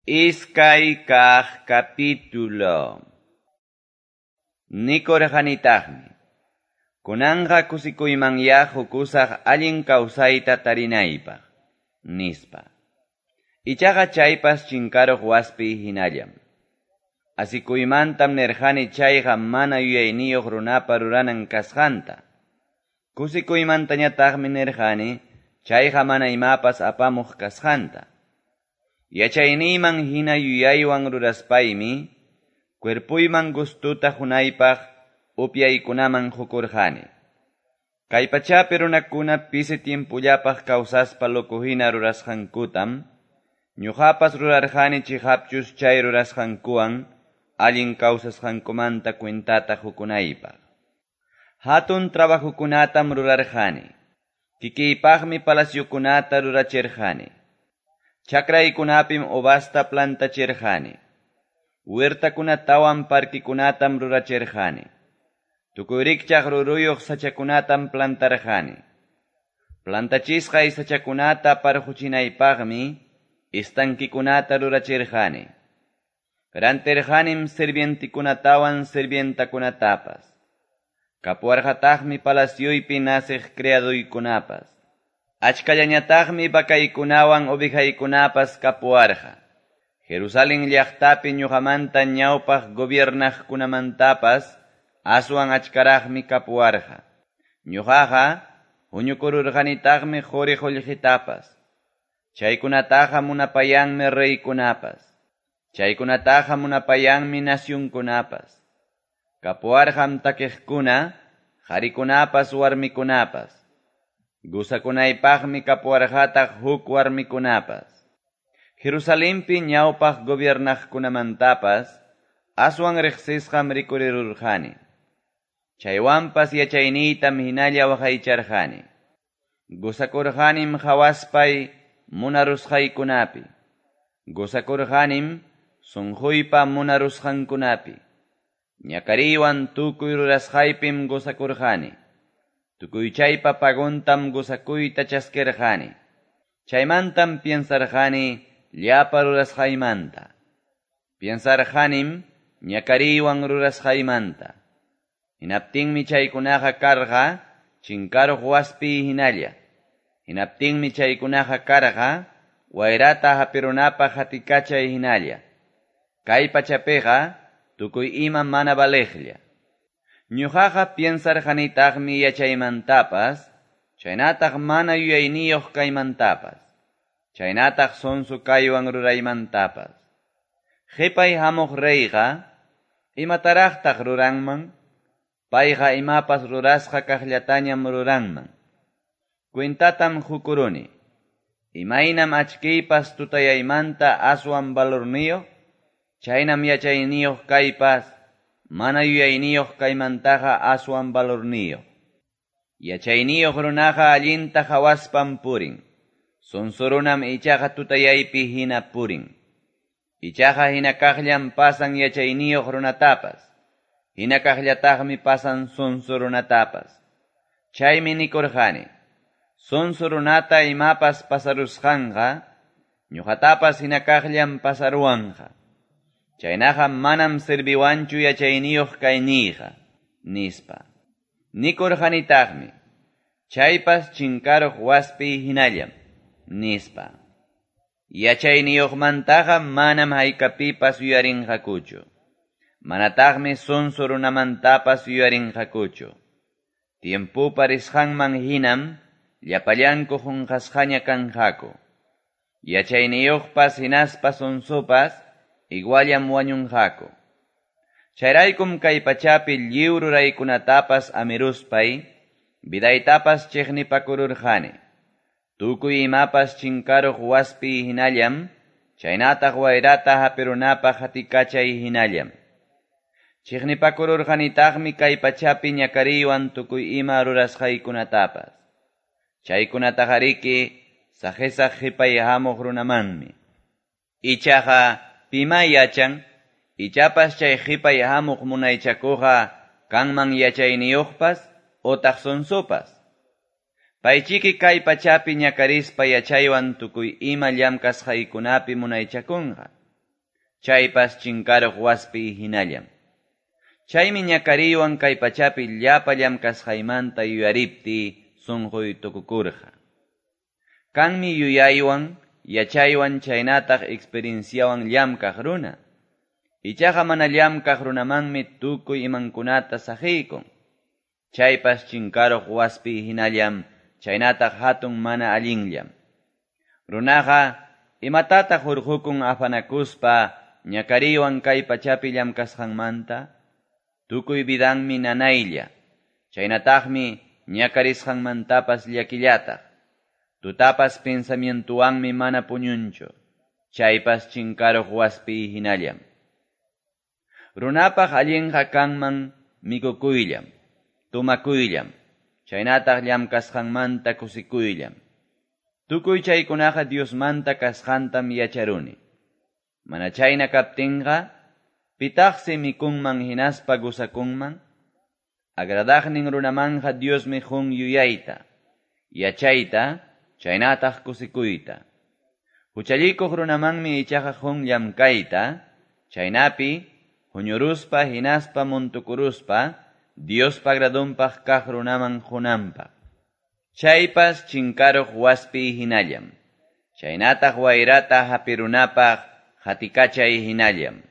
Iskay kaq capítulo. Nikurqanitaqmi, kunanqa kusikuymanyá qukusaq allin kawsayta tarinaypaq, nispa. Ichaqa chaypas chinkaruq waspi hinallam. Asikuymantam nirqani chayqa mana yuyayniyuq runapa ruranan kasqanta. Kusikuymantañataqmi nirqani chayqa mana imapas apamuq kasqanta. Yachayniyman hina yuyaywan ruraspaymi, cuerpuyman gustuta qunaypaq upyaykunaman qukurqani. Kay pachapi runakuna pisi tiempullapaq kawsaspa loco hina rurasqankutam, ñuqapas rurarqani chiqapchus chay rurasqankuwan allin kawsasqankumanta cuentata qukunaypaq. Hatun trabajokunatam rurarqani. Kikiypaqmi palaciokunata rurachirqani. Chakraykunapim uvasta plantachirqani. Huertakunatawan parquikunatam rurachirqani. Tukuy rikchaq ruruyuq sachakunatam plantarqani. Plantachisqay sachakunata parquchinaypaqmi estanquikunata rurachirqani. Rantirqanim sirvientikunatawan sirvientakunatapas. Kapuwarqataqmi palacioypi naciq criaduykunapas. Achkallañataqmi vacaykunawan ovejaykunapas kapuwarqa. Jerusalén llaqtapi ñuqamanta ñawpaq gobiernaqkunamantapas aswan achkaraqmi kapuwarqa. Ñuqaqa huñukururqanitaqmi quri qullqitapas. Chaykunataqa munapayanmi reykunapas. Chaykunataqa munapayanmi nacionkunapas. Kapuwarqam takiqkuna, qarikunapas warmikunapas. Gusakunaypaqmi kapuwarqataq huk warmikunapas. Jerusalenpi ñawpaq gobiernaqkunamantapas aswan riqsisqam rikurirurqani. Chaywanpas yachayniytam hinalla waqaycharqani. Gusakurqanim hawaspay munarusqaykunapi. Gusakurqanim sunquypa munarusqankunapi. Ñakariywan tukuy rurasqaypim gusakurqani. Tukuy chaypa paguntam gusakuyta chaskirqani. Chaymantam piensarqani llapa rurasqaymanta. Piensarqanim ñakariywan rurasqaymanta. Hinaptinmi chaykunaqa karqa chinkaruq waspi hinalla. Hinaptinmi chaykunaqa karqa wayrata hapirunapaq hatikachay hinalla. Kay pachapiqa tukuy ima mana valeqlla. Ñuqaqa piensarqanitaqmi yachaymantapas, chaynataq mana yuyayniyuq kaymantapas, chaynataq sonso kaywan ruraymantapas. Qhipay hamuq reyqa, imataraqtaq ruranman? Payqa imapas rurasqa kaqllatañam ruranman. Cuentatam qukuruni. Imaynam achkiypas tutayaymanta aswan valorniyuq, chaynam yachayniyuq kaypas, mana yuyayniyuq kaymantaqa aswan valorniyuq. Yachayniyuq runaqa allinta hawaspam purin. Sonso runam ichaqa tutayaypi hina purin. Ichaqa hina kaqllam pasan yachayniyuq runatapas. Hina kaqllataqmi pasan sonso runatapas. Chaymi nikurqani, sonso runata imapas pasarusqanqa, ñuqatapas hina kaqllam pasaruwanqa. Chaynaqa manam serviwanchu yachayniyuq kayniyqa, nispa. Nikurqanitaqmi, chaypas chinkaruq waspi hinallam, nispa. Yachayniyuqmantaqa manam haykapipas yuyarinqakuchu. Manataqmi sonso runamantapas yuyarinqakuchu. Tiempupa risqanman hinam llapallanku qunqasqaña kanqaku. Yachayniyuqpas hinaspa sonsopas iguallam wañunqaku. Chayraykum kay pachapi lliw ruraykunatapas amiruspay, vidaytapas chiqnipakururqani. Tukuy imapas chinkaruq waspi hinallam, chaynataq wayrata hapirunapaq hatikachay hinallam. Chiqnipakururqanitaqmi kay pachapi ñakariywan tukuy ima rurasqaykunatapas. Chaykunataqariki saqisaq qhipay hamuq runamanmi. Ichaqa pima yachan, ichapas chay qhipay hamuq munaychakuqa kanman yachayniyuqpas otaq sonsopas. Paychiki kay pachapi ñakarispa yachaywan tukuy ima llamkasqaykunapi munaychakunqa. Chaypas chinkaruq waspiy hinallam. Chaymi ñakariywan kay pachapi llapa llamkasqaymanta yuyariptiy sonqoy tukukurqa. Kanmi yuyaywan, yachaywan chaynataq experienciawan llamkaq runa. Ichaqa mana llamkaq runamanmi tukuy imankunata saqiykun. Chaypas chinkaruq waspiy hinallam, chaynataq hatun mana allinllam. Runaqa imatataq hurqukun afanakuspa ñakariywan kay pachapi llamkasqanmanta? Tukuy vidanmi nanaylla, chaynataqmi ñakarisqanmantapas llakillataq. Tutapas pensamientuwanmi mana puñunchu, chaypas chinkaruq waspiy hinallam. Runapaq allinqa kanman mikukuyllam, tomakuyllam, chaynataq llamkasqanmanta kusikuyllam. Tukuy chaykunaqa Diosmanta kasqantam yacharuni. Mana chayna kaptinqa, pitaqsi mikunman hinaspa gusakunman? Agradaqnin runamanqa Diosmi qun yuyayta, yachayta, chaynataq kusikuyta. Huchallikuq runamanmi ichaqa qun llamkayta, chaynapi huñuruspa hinaspa muntukuruspa Diospa agradonpaq kaq runaman qunanpaq. Chaypas chinkaruq waspiy hinallam. Chaynataq wayrata hapirunapaq qatikachay hinallam.